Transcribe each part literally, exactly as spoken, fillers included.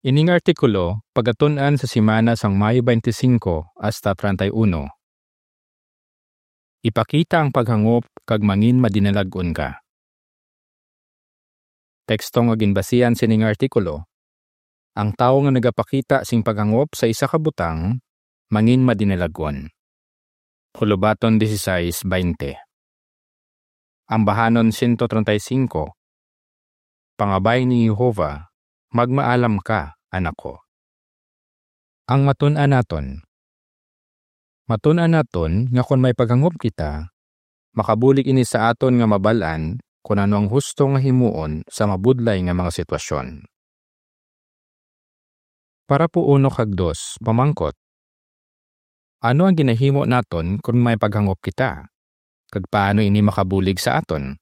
Ining artikulo pagatun-an sa semana sang Mayo twenty-five hasta treinta y uno. Ipakita ang paghangop kag mangin madinalag-on ka. Teksto nga ginbasihan sining artikulo: ang tawo nga nagapakita sing paghangop sa isa ka butang, mangin madinalag-on. Hulubaton dieciséis veinte. Ambahanon ciento treinta y cinco. Pangabay ni Jehovah, "Magmaalam ka, anak ko." Ang matun-an naton. Matun-an naton nga kon may paghangop kita, makabulig ini sa aton nga mabal-an kon ano ang husto nga himuon sa mabudlay nga mga sitwasyon. Parapo uno kag dos, pamangkot: ano ang ginahimo naton kon may paghangop kita, kag paano ini makabulig sa aton?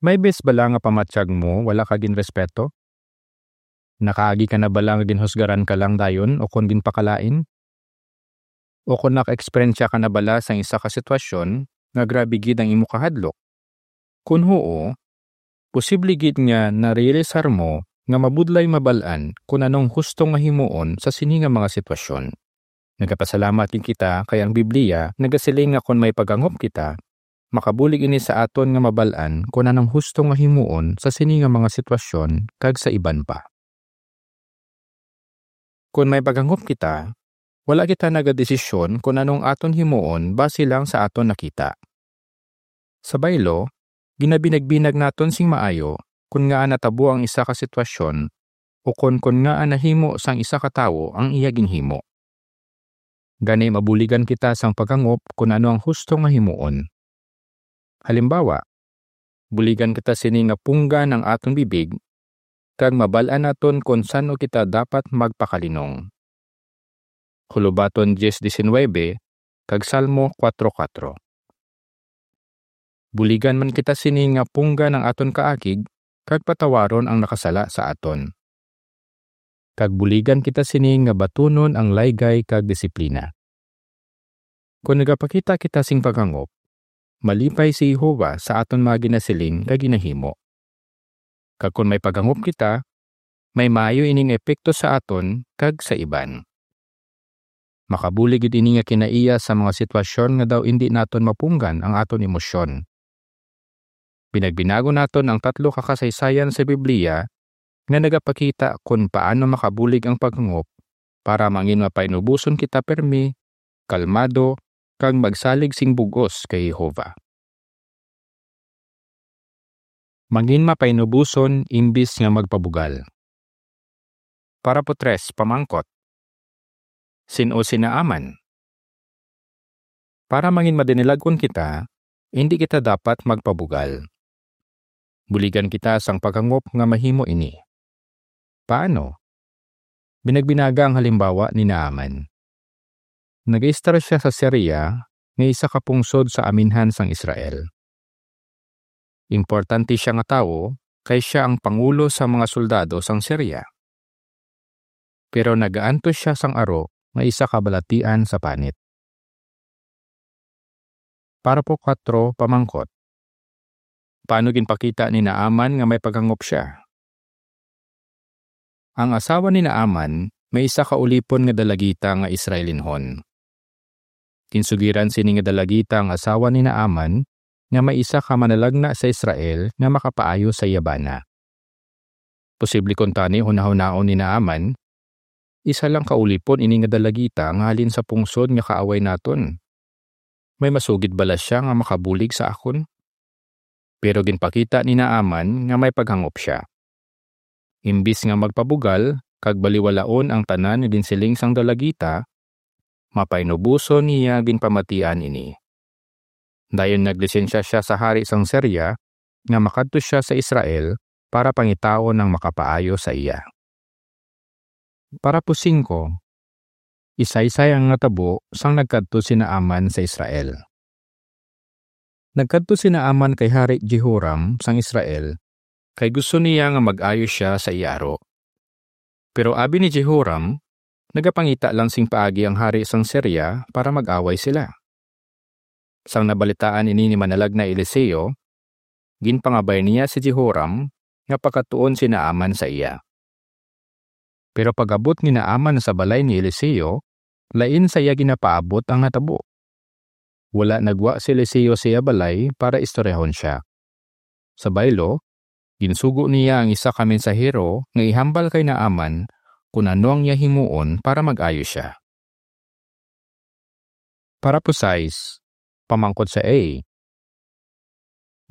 May bes bala nga pamatyag mo wala ka ginrespeto? Nakaagi ka na bala nga ginhusgaran ka lang dayon ukon ginpakalain? O kon naka-eksperyensya ka na bala sang isa ka sitwasyon nga grabe gid ang imo kahadlok? Kon huo, posible gid nga narealisar mo nga mabudlay mabal-an kon ano ang husto nga himuon sa sini nga mga sitwasyon. Nagapasalamat gid kita kay ang Biblia nagasiling nga kon may paghangop kita, makabulig ini sa aton nga mabal-an kon ano ang husto nga himuon sa sini nga mga sitwasyon kag sa iban pa. Kon may paghangop kita, wala kita nagadesisyon kon ano ang aton himuon base lang sa aton nakita. Sa baylo, ginabinagbinag naton sing maayo kon ngaa natabo ang isa ka sitwasyon ukon kon ngaa nahimo sang isa ka tawo ang iya ginhimo. Gani, mabuligan kita sang paghangop kon ano ang husto nga himuon. Halimbawa, buligan kita sini nga punggan ang aton bibig kag mabal-an naton kon san-o kita dapat magpakalinong. Hulubaton diez diecinuebe kag Salmo kuwatro kuwatro. Buligan man kita sini nga punggan ang aton kaakig kag patawaron ang nakasala sa aton. Kag buligan kita sini nga batunon ang laygay kag disiplina. Kon nagapakita kita sing paghangop, malipay si Jehovah sa aton mga ginasiling kag ginahimo. Kag kon may paghangop kita, may maayo ining epekto sa aton kag sa iban. Makabulig gid ini nga kinaiya sa mga sitwasyon nga daw indi naton mapunggan ang aton emosyon. Binagbinagon naton ang tatlo ka kasaysayan sa Biblia nga nagapakita kon paano makabulig ang paghangop para mangin mapainuboson kita permi, kalmado, kag magsalig sing bug-os kay Jehovah. Mangin mapainuboson imbis nga magpabugal. Parapo tres, pamangkot: sin-o si Naaman? Para mangin madinilag-on kita, indi kita dapat magpabugal. Buligan kita sang paghangop nga mahimo ini. Paano? Binagbinaga ang halimbawa ni Naaman. Nagaistar sia sa Siria, nga isa ka pungsod sa aminhan sang Israel. Importante sia nga tawo, kay sia ang pangulo sa mga soldado sang Siria. Pero nagaantos sia sang aro nga isa ka balatian sa panit. Parapo kuwatro, pamangkot: paano ginpakita ni Naaman nga may paghangop sia? Ang asawa ni Naaman may isa ka ulipon nga dalagita nga Israelinhon. Ginsugiran sini nga dalagita ang asawa ni Naaman nga may isa ka manalagna sa Israel nga makapaayo sa iya bana. Posible kuntani hunahunaon ni Naaman, "Isa lang ka ulipon ini nga dalagita nga halin sa pungsod nga kaaway naton. May masugid bala sia nga makabulig sa akon?" Pero ginpakita ni Naaman nga may paghangop sia. Imbis nga magpabugal kag baliwalaon ang tanan nga ginsiling sang dalagita, mapainuboson niya ginpamatian ini. Dayon naglisensya sia sa hari sang Siria nga makadto sia sa Israel para pangitaon ang makapaayo sa iya. Parapo singko, isaysay ang natabo sang nagkadto si Naaman sa Israel. Nagkadto si Naaman kay Hari Jehoram sang Israel, kay gusto niya nga mag-ayo sia sa iya aro. Pero abi ni Jehoram, nagapangita lang sing paagi ang hari sang Siria para mag-away sila. Sang nabalitaan ini ni Manalagna Eliseo, ginpangabay niya si Jehoram nga pakadtuon si Naaman sa iya. Pero pag-abot ni Naaman sa balay ni Eliseo, lain sa iya ginapaabot ang natabo. Wala nagwa si Eliseo sa iya balay para istoryahon sia. Sa baylo, ginsugo niya ang isa ka mensahero nga ihambal kay Naaman kon ano ang iya himuon para mag-ayo sia. Parapo sais, pamangkot sa A.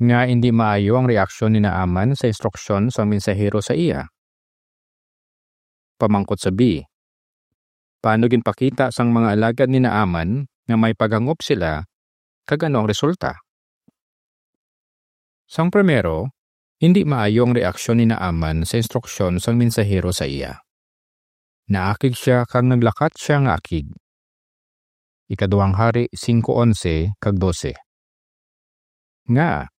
Nga indi maayo ang reaksyon ni Naaman sa instruksyon sang mensahero sa iya? Pamangkot sa B. Paano ginpakita sang mga alagad ni Naaman nga may paghangop sila, kag ano ang resulta? Sang primero, indi maayo ang reaksyon ni Naaman sa instruksyon sang mensahero sa iya. Naakig sia kag naglakat sia nga akig. Ikaduhang Hari singko onse kag dose. Nga,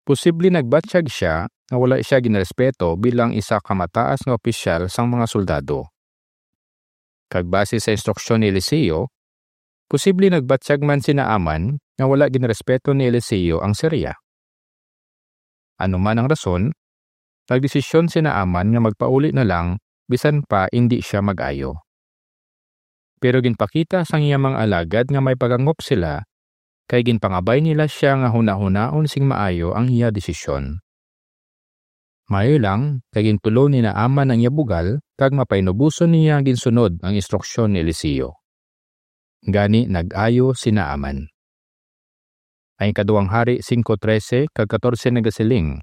posible nagbatyag sia nga wala sia ginrespeto bilang isa ka mataas nga opisyal sang mga soldado. Kag base sa instruksyon ni Eliseo, posible nagbatyag man si Naaman nga wala ginrespeto ni Eliseo ang Siria. Ano man ang rason, nagdesisyon si Naaman nga magpauli na lang bisan pa indi sia mag-ayo. Pero ginpakita sang iya mga alagad nga may paghangop sila, kay ginpangabay nila sia nga hunahunaon sing maayo ang iya desisyon. Maayo lang, kay gintulo ni Naaman ang iya bugal, kag mapainuboson niya ginsunod ang instruksyon ni Eliseo. Gani nag-ayo si Naaman. Ang Ikaduhang Hari singko trese kag katorse nagasiling,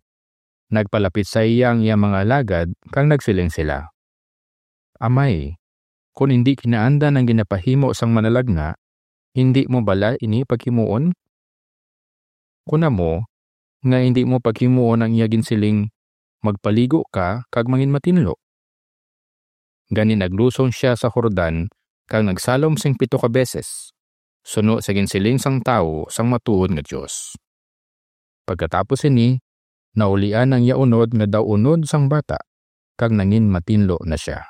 nagpalapit sa iya ang iya mga alagad kag nagsiling sila, "Amay, kon indi kinaandan ang ginapahimo sang manalagna, indi mo bala ini paghimuon? Kon amo nga indi mo paghimuon ang iya ginsiling, 'Magpaligo ka kag manginmatinlo.'" Gani naglusong sia sa Jordan kag nagsalom sing pito ka beses, suno sa ginsiling sang tawo sang matuod nga Dios. Pagkatapos sini, naulian ang iya unod nga daw unod sang bata, kag nanginmatinlo na sia.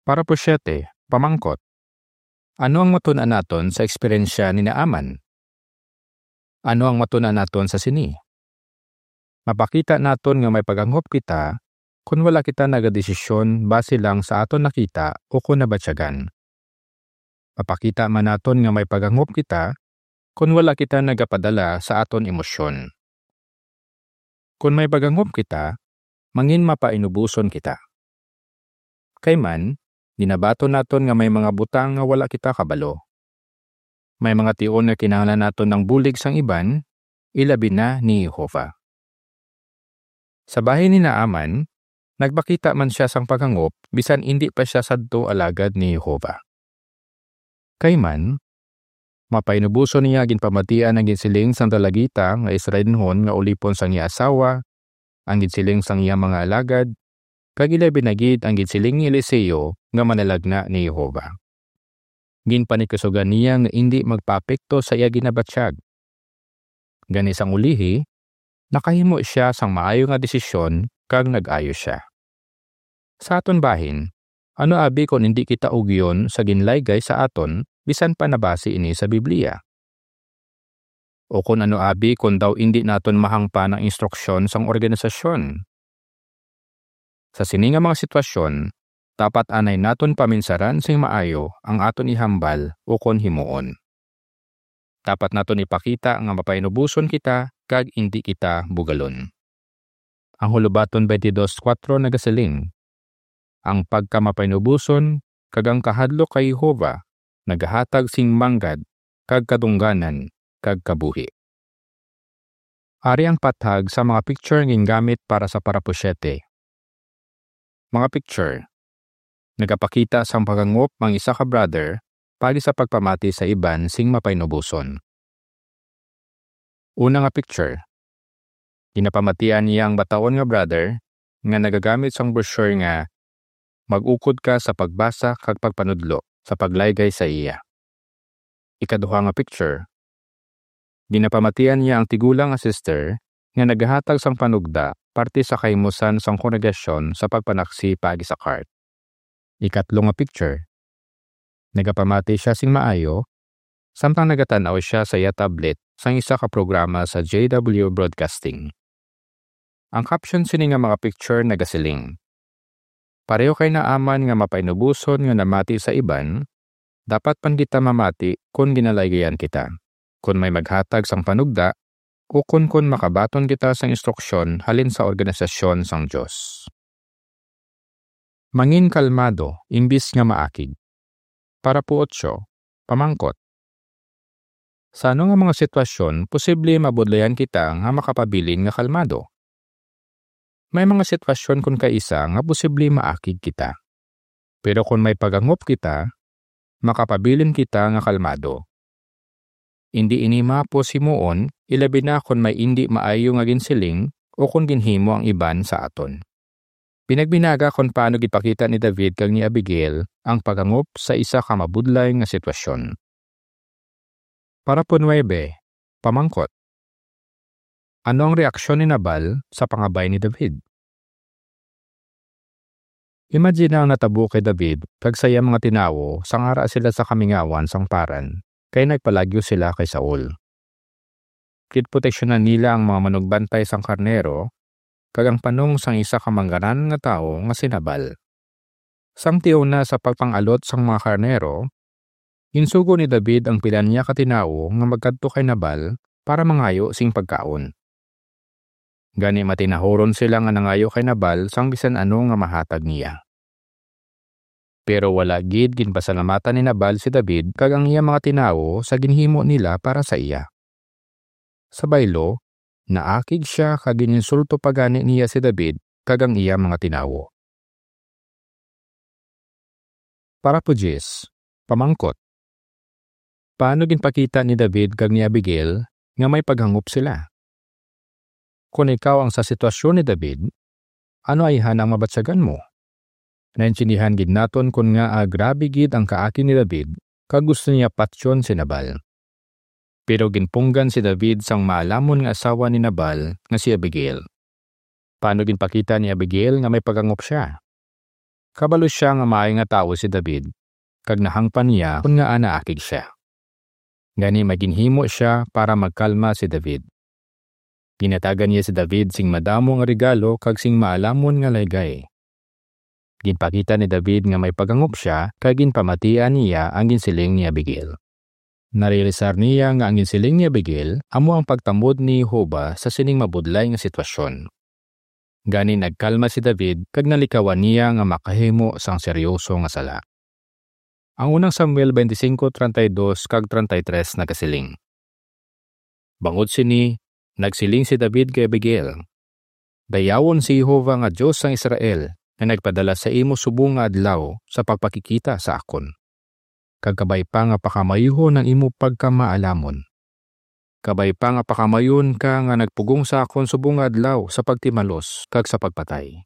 Parapo siyete, pamangkot. Ano ang matun-an naton sa eksperyensya ni Naaman? Ano ang matun-an naton sa sini? Mapakita naton nga may paghangop kita kon wala kita nagadesisyon base lang sa aton nakita o kon nabatyagan. Mapakita man naton nga may paghangop kita kon wala kita nagapadala sa aton emosyon. Kon may paghangop kita, mangin mapainuboson kita. Kay man, ginabaton naton nga may mga butang nga wala kita kabalo. May mga tion nga kinahanglan naton ang bulig sang iban, ilabi na ni Jehovah. Sa bahin ni Naaman, nagpakita man sia sang paghangop bisan indi pa sia sadto alagad ni Jehovah. Kay man, mapainuboson niya ginpamatian ang ginsiling sang dalagita nga Israelinhon nga ulipon sang iya asawa, ang ginsiling sang iya mga alagad, kag ilabi na gid ang ginsiling ni Eliseo nga manalagna ni Jehovah. Ginpanikusugan niya nga indi magpaapekto sa iya ginabatyag. Gani sang ulihi, nakahimo sia sang maayo nga desisyon kag nag-ayo sia. Sa aton bahin, ano abi kon indi kita ugyon sa ginlaygay sa aton bisan pa nabasi ini sa Biblia? O kon ano abi kon daw indi naton mahangpan ang instruksyon sang organisasyon? Sa sini nga mga sitwasyon, dapat anay naton paminsaran sing maayo ang aton ihambal ukon himuon. Dapat naton ipakita nga mapainuboson kita kag indi kita bugalon. Ang Hulobaton twenty-two four nagasiling, "Ang pagkamapainuboson kag ang kahadlok kay Jehovah nagahatag sing manggad kag kadungganan kag kabuhi." Ari ang pathag sa mga picture nga gingamit para sa parapo siyete. Mga picture. Nagapakita sang paghangop ang isa ka brother paagi sa pagpamati sa iban sing mapainuboson. Una nga picture. Ginapamatian niya ang bataon nga brother nga nagagamit sang brochure nga "Mag-ukod ka sa pagbasa kag pagpanudlo sa paglaygay sa iya." Ikaduha nga picture. Ginapamatian niya ang tigulang nga sister nga nagahatag sang panugda parte sa kahimusan sang kongregasyon sa pagpanaksi paagi sa cart. Ikatlo nga picture. Nagapamati sia sing maayo samtang nagatan-aw sia sa iya tablet sang isa ka programa sa J W Broadcasting. Ang caption sini nga mga picture nagasiling, pareho kay Naaman nga mapainuboson nga namati sa iban, dapat man kita mamati kon ginalaygayan kita, kon may maghatag sang panugda, ukon kon makabaton kita sang instruksyon halin sa organisasyon sang Dios. Mangin kalmado imbis nga maakig. Parapo otso, pamangkot. Sa ano nga mga sitwasyon posible mabudlayan kita nga makapabilin nga kalmado? May mga sitwasyon kon kaisa nga posible maakig kita. Pero kon may paghangop kita, makapabilin kita nga kalmado. Indi ini mahapos himuon, ilabi na kon may indi maayo nga ginsiling o kon ginhimo ang iban sa aton. Pinagbinaga kon paano ginpakita ni David kag ni Abigail ang paghangop sa isa ka mabudlay nga sitwasyon. Parapo nuebe, pamangkot. Ano ang reaksyon ni Nabal sa pangabay ni David? Imagine ang natabo kay David kag sa iya mga tinawo sang ara sila sa kamingawan sang Paran, kay nagpalagyo sila kay Saul. Ginproteksyonan nila ang mga manugbantay sang karnero kag ang panong sang isa ka manggaran nga tawo nga si Nabal. Sang tion na sa pagpang-alot sang mga karnero, ginsugo ni David ang pila niya ka tinawo nga magkadto kay Nabal para mangayo sing pagkaon. Gani matinahuron sila nga nangayo kay Nabal sang bisan ano nga mahatag niya. Pero wala gid ginpasalamatan ni Nabal si David kag ang iya mga tinawo sa ginhimo nila para sa iya. Sa baylo, naakig sia kag gininsulto pa gani niya si David kag ang iya mga tinawo. Parapo diyes, pamangkot. Paano ginpakita ni David kag ni Abigail nga may paghangop sila? Kon ikaw ang sa sitwasyon ni David, ano ayhan ang mabatyagan mo? Naintindihan gid naton kon ngaa grabe gid ang kaakig ni David kag gusto niya patyon si Nabal. Pero ginpunggan si David sang maalamon nga asawa ni Nabal nga si Abigail. Paano ginpakita ni Abigail nga may paghangop sia? Kabalo sia nga maayo nga tawo si David, kag nahangpan niya kon ngaa naakig sia. Gani may ginhimo sia para magkalma si David. Ginhatagan niya si David sing madamo nga regalo kag sing maalamon nga laygay. Ginpakita ni David nga may paghangop sia kag ginpamatian niya ang ginsiling ni Abigail. Narealisar niya nga ang ginsiling ni Abigail amo ang pagtamod ni Jehovah sa sining mabudlay nga sitwasyon. Gani nagkalma si David kag nalikawan niya nga makahimo sang seryoso nga sala. Ang unang Samuel twenty-five, treinta y dos kag treinta y tres nagasiling, Bangod sini, nagsiling si David kay Abigail, "Dayawon si Jehovah nga Dios sang Israel, nga nagpadala sa imo subong nga adlaw sa pagpakikita sa akon, kag kabay pa nga pakamayuhon ang imo pagkamaalamon. Kabay pa nga pakamayon ka nga nagpugong sa akon subong nga adlaw sa pagtimalos kag sa pagpatay."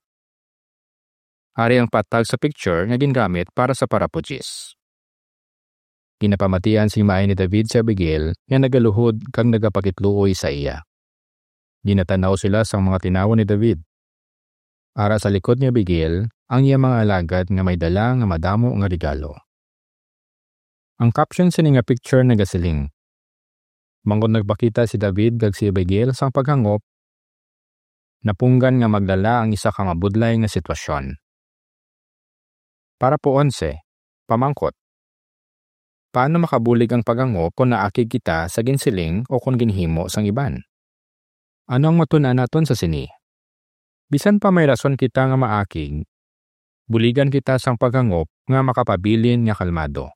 Ari ang patag sa picture nga gingamit para sa parapo diyes. Ginapamatian sing maayo ni David si Abigail nga nagaluhod kag nagapakitluoy sa iya. Ginatan-aw sila sang mga tinawo ni David. Ara sa likod ni Abigail ang iya mga alagad nga may dala nga madamo nga regalo. Ang caption sini nga picture nagasiling, "Bangod nagpakita si David kag si Abigail sang paghangop, napunggan nga magdala ang isa ka mabudlay nga sitwasyon." Parapo onse, pamangkot. Paano makabulig ang paghangop kon naakig kita sa ginsiling o kon ginhimo sang iban? Ano ang matun-an naton sa sini? Bisan pa may rason kita nga maakig, buligan kita sang paghangop nga makapabilin nga kalmado.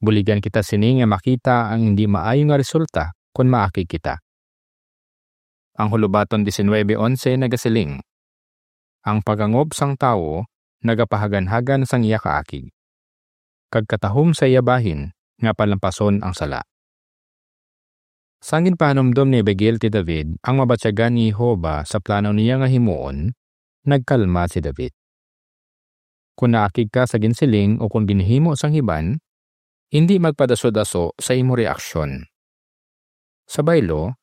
Buligan kita sini nga makita ang indi maayo nga resulta kon maakig kita. Ang Hulubaton diecinuebe once nagasiling, "Ang paghangop sang tawo nagapahaganhagan sang iya kaakig, kag katahom sa iya bahin nga palampason ang sala." Sang ginpahanumdom ni Abigail kay David ang mabatyagan ni Jehovah sa plano niya nga himuon, nagkalma si David. Kon naakig ka sa ginsiling o kon ginhimo sang iban, indi magpadaso-daso sa imo reaksyon. Sa baylo,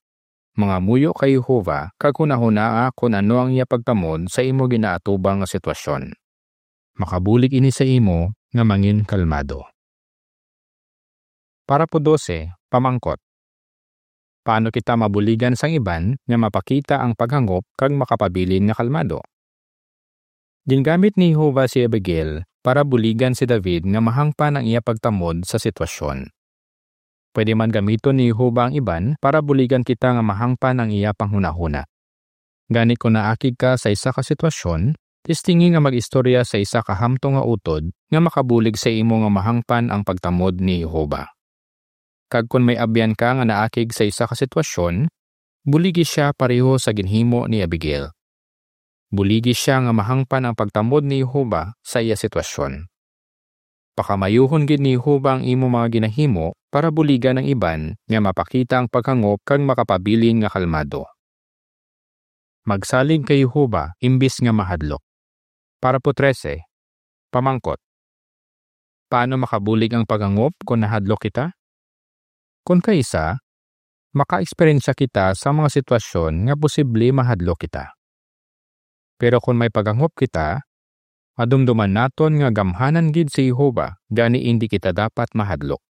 mangamuyo kay Jehovah kag hunahunaa kon ano ang iya pagtamod sa imo ginaatubang nga sitwasyon. Makabulig ini sa imo nga mangin kalmado. Parapo dose, pamangkot. Paano kita mabuligan sang iban nga mapakita ang paghangop kag makapabilin nga kalmado? Gingamit ni Jehovah si Abigail para buligan si David nga mahangpan ang iya pagtamod sa sitwasyon. Pwede man gamiton ni Jehovah ang iban para buligan kita nga mahangpan ang iya panghunahuna. Gani, kon naakig ka sa isa ka sitwasyon, testingi nga mag-istorya sa isa ka hamtong nga utod nga makabulig sa imo nga mahangpan ang pagtamod ni Jehovah. Kag kon may abyan ka nga naakig sa isa ka sitwasyon, buligi sia pareho sa ginhimo ni Abigail. Buligi sia nga mahangpan ang pagtamod ni Jehovah sa iya sitwasyon. Pakamayuhon gid ni Jehovah ang imo mga ginahimo para buligan ang iban nga mapakita ang paghangop kag makapabilin nga kalmado. Magsalig kay Jehovah imbis nga mahadlok. Parapo trese, pamangkot. Paano makabulig ang paghangop kon nahadlok kita? Kon kaisa, maka-eksperyensya kita sa mga sitwasyon nga posible mahadlok kita. Pero kon may paghangop kita, madumduman naton nga gamhanan gid si Jehovah, gani indi kita dapat mahadlok.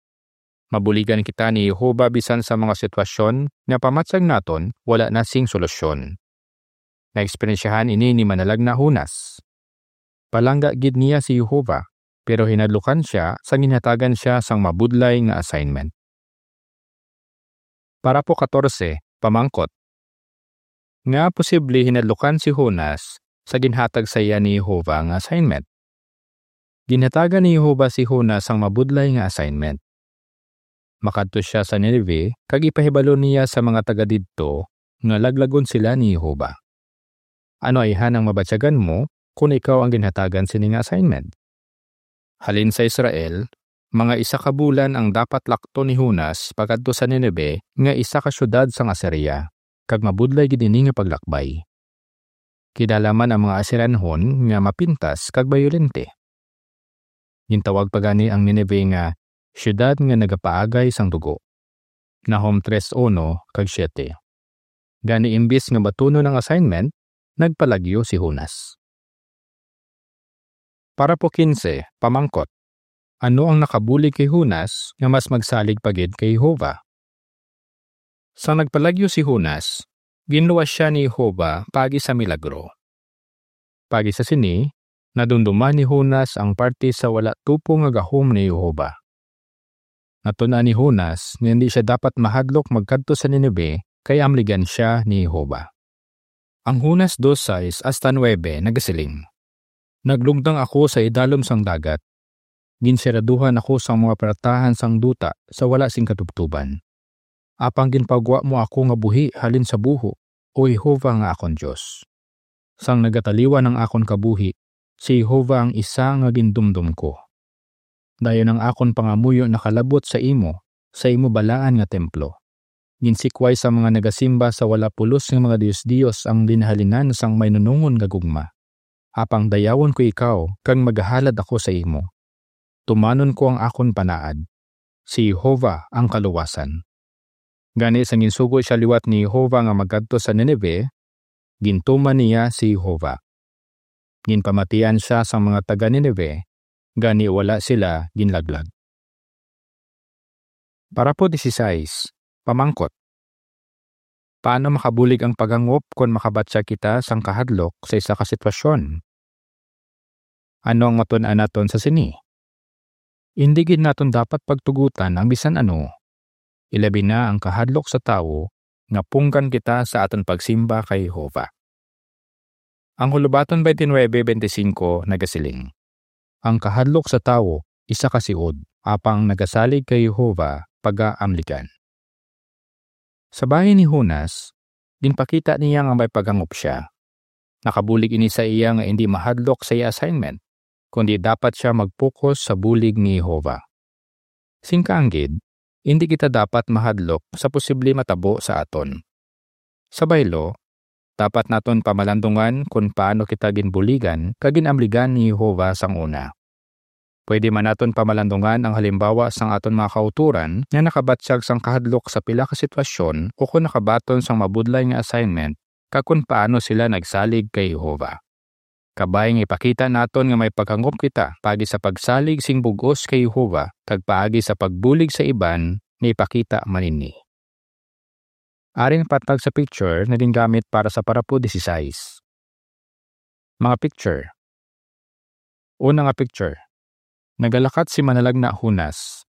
Mabuligan kita ni Jehovah bisan sa mga sitwasyon nga pamatyag naton wala na sing solusyon. Naeksperyensyahan ini ni manalagna Jonas. Palangga gid niya si Jehovah, pero hinadlukan sia sang ginhatagan sia sang mabudlay nga assignment. Parapo katorse, pamangkot. Nga posible hinadlukan si Jonas sa ginhatag sa iya ni Jehovah nga assignment? Ginhatagan ni Jehovah si Jonas sang mabudlay nga assignment. Makadto sia sa Nineveh kag ipahibalo niya sa mga taga didto nga laglagon sila ni Jehovah. Ano ayhan ang mabatyagan mo kon ikaw ang ginhatagan sini nga assignment? Halin sa Israel, mga isa ka bulan ang dapat lakton ni Jonas pakadto sa Nineveh, nga isa ka siyudad sang Asiria, kag mabudlay gid ini nga paglakbay. Kilala man ang mga Asirianhon nga mapintas kag bayolente. Gintawag pa gani ang Nineveh nga siyudad nga nagapaagay sang dugo. Nahum tres uno kag siete. Gani, imbis nga batunon ang assignment, nagpalagyo si Jonas. Parapo kinse, pamangkot. Ano ang nakabulig kay Jonas nga mas magsalig pa gid kay Jehovah? Sang nagpalagyo si Jonas, ginluwas sia ni Jehovah paagi sa milagro. Paagi sa sini, nadumduman ni Jonas ang parte sa wala tupong nga gahom ni Jehovah. Natun-an ni Jonas nga indi sia dapat mahadlok magkadto sa Nineveh kay amligan sia ni Jehovah. Ang Jonas dos sais hasta nuebe nagasiling, "Naglugdang ako sa idalom sang dagat. Ginsiraduhan ako sang mga paratahan sang duta sa wala sing katubtoban. Apang ginpagwa mo ako nga buhi halin sa buho, O Jehovah nga akon Dios. Sang nagataliwan ang akon kabuhi, si Jehovah ang isa nga gindumdom ko. Dayon ang akon pangamuyo nakalabot sa imo, sa imo balaan nga templo. Ginsikway sa mga nagasimba sa wala pulos nga mga dios-dios ang ginhalinan sang mainunongon nga gugma. Apang dayawon ko ikaw, kag magahalad ako sa imo. Tumanon ko ang akon panaad. Si Jehovah ang kaluwasan." Gani, sang ginsugo sia liwat ni Jehovah nga magkadto sa Nineveh, gintuman niya si Jehovah. Ginpamatian sia sang mga taga-Nineveh, gani wala sila ginlaglag. Parapo disisais, pamangkot. Paano makabulig ang paghangop kon makabatyag kita sang kahadlok sa isa ka sitwasyon? Ano ang matun-an naton sa sini? Indi gid naton dapat pagtugotan ang bisan ano, ilabi na ang kahadlok sa tawo nga punggan kita sa aton pagsimba kay Jehovah. Ang Hulobaton twenty-nine twenty-five nagasiling, "Ang kahadlok sa tawo isa ka siod, apang nagasalig kay Jehovah pagaamligan." Sa bahin ni Jonas, ginpakita niya nga may paghangop sia. Nakabulig ini sa iya nga indi mahadlok sa iya assignment, kundi dapat sia mag-focus sa bulig ni Jehovah. Sing kaanggid, indi kita dapat mahadlok sa posible matabo sa aton. Sa baylo, dapat naton pamalandungan kon paano kita ginbuligan kag gin-amligan ni Jehovah sang una. Pwede man naton pamalandungan ang halimbawa sang aton mga kautoran nga nakabatyag sang kahadlok sa pila ka sitwasyon ukon nakabaton sang mabudlay nga assignment, kag kon paano sila nagsalig kay Jehovah. Kabay nga ipakita naton nga may paghangop kita paagi sa pagsalig sing bug-os kay Jehovah kag paagi sa pagbulig sa iban nga ipakita man ini. Ari ang patag sa picture nga gingamit para sa parapo disisais. Mga picture. Una nga picture, nagalakat si manalagna Jonas,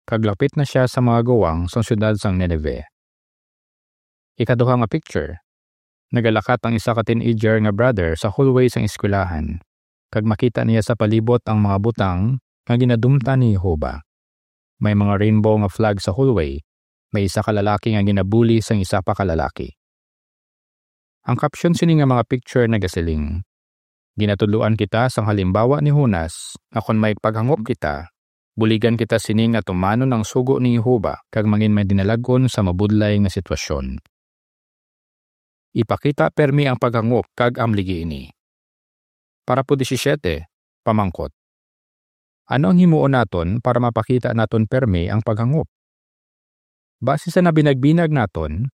kag lapit na sia sa mga guwang sang siyudad sang Nineveh. Ikaduha nga picture, nagalakat ang isa ka teenager nga brother sa hallway sang eskwelahan, kag makita niya sa palibot ang mga butang nga ginadumtan ni Jehovah. May mga rainbow nga flag sa hallway, may isa ka lalaki nga ginabuli sang isa pa ka lalaki. Ang caption sini nga mga picture nagasiling, "Ginatudloan kita sang halimbawa ni Jonas nga kon may paghangop kita, buligan kita sini nga tumanon ang sugo ni Jehovah kag mangin madinalag-on sa mabudlay nga sitwasyon." Ipakita permi ang paghangop kag amligi ini. Parapo disisyete, pamangkot, ano ang himuon naton para mapakita naton permi ang paghangop? Base sa nabinagbinag naton,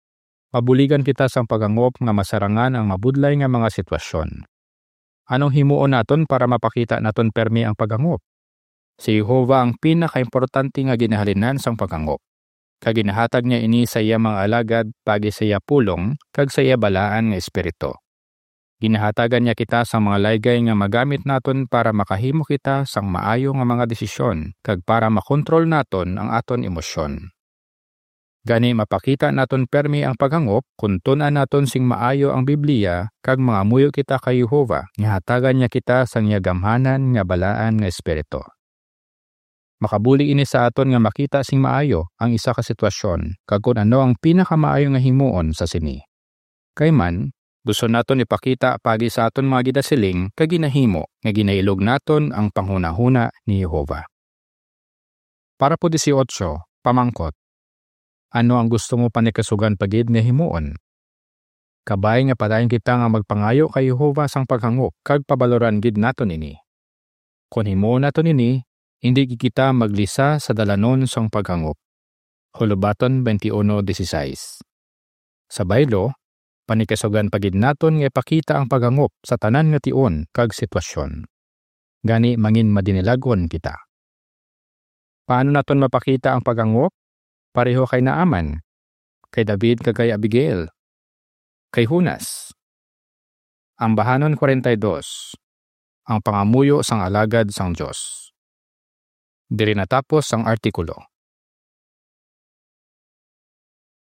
mabuligan kita sang paghangop nga masarangan ang mabudlay nga mga sitwasyon. Anong himuon naton para mapakita naton permi ang paghangop? Si Jehovah ang pinakaimportante nga ginahalinan sang paghangop, kag ginahatag niya ini sa iya mga alagad paagi sa iya pulong kag sa iya balaan nga espiritu. Ginahatagan niya kita sang mga laygay nga magamit naton para makahimo kita sang maayo nga mga desisyon kag para makontrol naton ang aton emosyon. Gani, mapakita naton permi ang paghangop kon tun-an naton sing maayo ang Biblia kag mangamuyo kita kay Jehovah nga hatagan niya kita sang iya gamhanan nga balaan nga espiritu. Makabuli ini sa aton nga makita sing maayo ang isa ka sitwasyon kag kon ano ang pinakamaayo nga himuon sa sini. Kay man, gusto naton ipakita paagi sa aton mga ginasiling kag ginahimo nga ginailog naton ang panghunahuna ni Jehovah. Parapo disiotso, pamangkot, ano ang gusto mo panikasugan pa gid nga himuon? Kabay nga padayon kita nga magpangayo kay Jehovah sang paghangop kag pabaloran gid naton ini. Kon himuon naton ini, indi gid kita maglisa sa dalanon sang paghangop. Hulubaton twenty-one dieciséis. Sa baylo, panikasugan pa gid naton nga ipakita ang paghangop sa tanan nga tion kag sitwasyon. Gani, mangin madinilag-on kita. Paano naton mapakita ang paghangop? Pareho kay Naaman, kay David kag kay Abigail, kay Jonas. Ambahanon forty-two, ang pangamuyo sang alagad sang Dios. Diri natapos ang artikulo.